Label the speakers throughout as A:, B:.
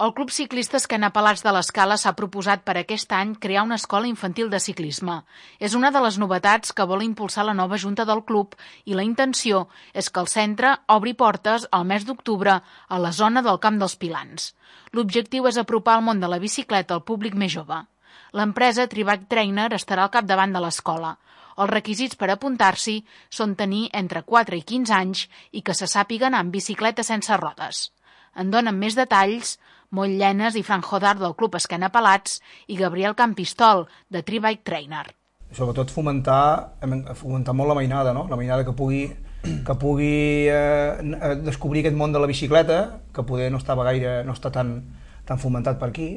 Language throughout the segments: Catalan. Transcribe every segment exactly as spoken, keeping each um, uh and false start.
A: El Club Ciclista Esquena Pelats de l'Escala s'ha proposat per aquest any crear una escola infantil de ciclisme. És una de les novetats que vol impulsar la nova junta del club i la intenció és que el centre obri portes al mes d'octubre a la zona del Camp dels Pilans. L'objectiu és apropar el món de la bicicleta al públic més jove. L'empresa Tri-Bike Trainer estarà al capdavant de l'escola. Els requisits per apuntar-s'hi són tenir entre quatre i quinze anys i que se sàpiga anar amb bicicleta sense rodes. En donen més detalls Moll Llenes i Fran Jodar del Club Esquena Pelats i Gabriel Campistol de Tri-Bike Trainer.
B: Sobretot fomentar, fomentar molt la mainada, no? La mainada que pugui, que pugui eh, descobrir aquest món de la bicicleta, que poder no estava gaire, no està tan, tan fomentat per aquí.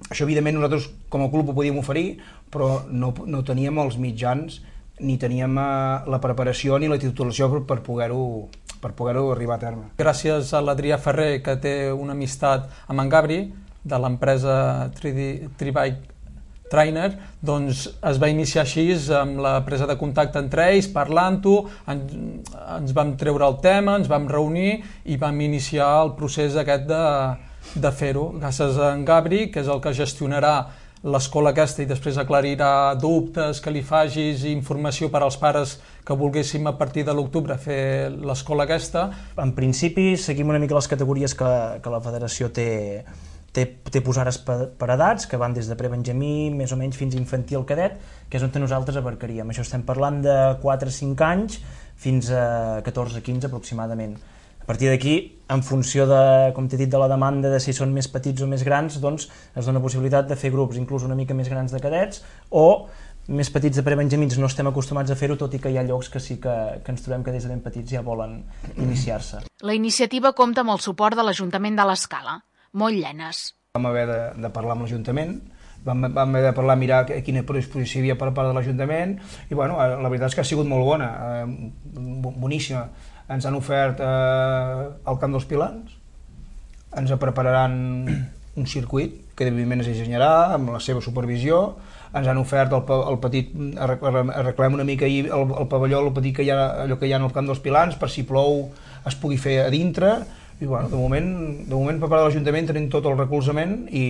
B: Això, evidentment, nosaltres com a club ho podíem oferir, però no, no teníem els mitjans ni teníem eh, la preparació ni la titulació per, per poder-ho per poder-ho arribar a terme.
C: Gràcies a l'Adrià Ferrer, que té una amistat amb en Gabri, de l'empresa Tri-Bike Trainer, doncs es va iniciar així amb la presa de contacte entre ells, parlant-ho, ens, ens vam treure el tema, ens vam reunir i vam iniciar el procés aquest de, de fer-ho. Gràcies a en Gabri, que és el que gestionarà l'escola aquesta i després aclarirà dubtes que li facis i informació per als pares que volguéssim a partir de l'octubre fer l'escola aquesta.
D: En principi seguim una mica les categories que, que la federació té, té, té posades per, per edats, que van des de prebenjamí més o menys fins a infantil cadet, que és on nosaltres abarcaríem. Això estem parlant de quatre a cinc anys fins a catorze a quinze aproximadament. A partir d'aquí, en funció de, com t'he dit, de la demanda de si són més petits o més grans, doncs es dona possibilitat de fer grups inclús una mica més grans de cadets o més petits de prebenjamins. No estem acostumats a fer-ho, tot i que hi ha llocs que sí que, que ens trobem que des de ben petits ja volen iniciar-se.
A: La iniciativa compta amb el suport de l'Ajuntament de l'Escala, Moll Llenes.
B: Vam haver de, de parlar amb l'Ajuntament, vam, vam haver de parlar, mirar quina predisposició hi havia per part de l'Ajuntament i bueno, la veritat és que ha sigut molt bona, eh, boníssima. Ens han ofert eh, el Camp dels Pilans, ens prepararan un circuit que evidentment es dissenyarà amb la seva supervisió, ens han ofert el, el petit, arreglem una mica ahir el, el pavelló, el petit que hi ha, allò que hi ha al Camp dels Pilans, per si plou es pugui fer a dintre, i bueno, de moment, de moment per part de l'Ajuntament tenim tot el recolzament i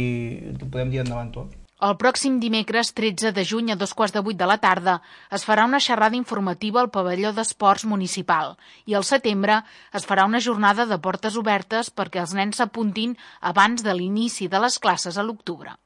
B: podem dir endavant tot.
A: El pròxim dimecres tretze de juny a dos quarts de vuit de la tarda es farà una xerrada informativa al pavelló d'esports municipal i al setembre es farà una jornada de portes obertes perquè els nens s'apuntin abans de l'inici de les classes a l'octubre.